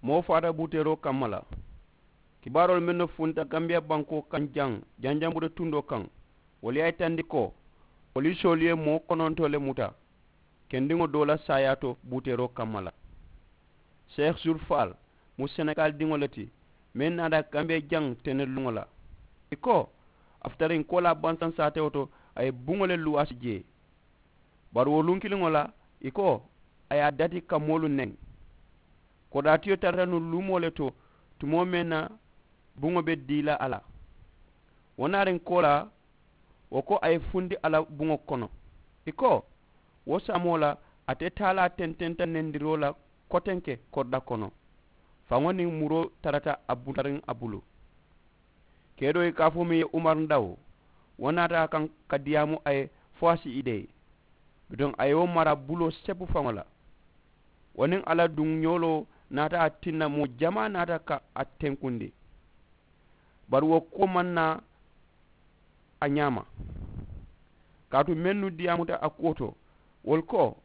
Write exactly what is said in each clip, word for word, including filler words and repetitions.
Moo faata buuteeroo kamma la. Kibaaroolu mennu funta gambiya bankoo kaŋ jaŋ janjambure tundoo kaŋ, wolu ye a yitandi ko polisoolu ye moo konontoo le muta kendiŋo doo la saayaa to buuteeroo kamma la. Seex sulfaal mu senegaali diŋo le ti, meŋ naata gambiya jaŋ teneluŋo la. Ì ko a futariŋ koolaa bansaŋ saatewo to, a ye buŋo le luwaasi jee. Bari wo luŋ kiliŋo la, ì ko a ye a dati ka moolu neŋ. Kodaatiyo tarata nuŋ luumoo le to, tumoo meŋ na buŋo be dii la a la. Wo naariŋ koolaa wo ko a ye fundi a la buŋo kono. Ì ko wo saamoo la, ate taalaa tententa nendiroo la kotenke korda kono. Faŋo niŋ muroo tarata a butariŋ a bulu. Kedoo ye kaafoo meŋ ye umar ndaw, wo naata a kaŋ ka diyaamu a ye fo a si i dee. Bituŋ a ye wo mara buloo sepu faŋo la. Wo niŋ a la duŋ ñooloo naata a tinna moo jamaa naata ka a tenkundi. Bari wo kuwo maŋ naa a ñaama. Kaatu mennu diyaamuta a kuwo to, wolu ko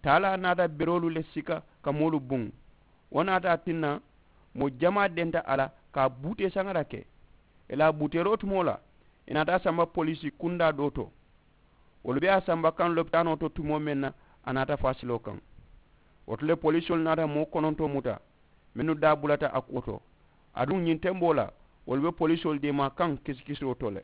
taalaa naata beroolu le sika ka moolu buŋ. Wo naata a tinna moo jamaa denta a la ka a buutee saŋara ke. Ì la a buuteeroo tumoo la, ì naata a samba poliisi kundaa doo to. Wolu be a samba kaŋ lopitaanoo to tumoo meŋ na, a naata faasiloo kaŋ. Wo to le polisoolu naata moo konontoo muta mennu daa bulata a kuwo to. Aduŋ ñiŋ temboo la, wolu be polisoolu deemaa kaŋ kisikisiroo to le.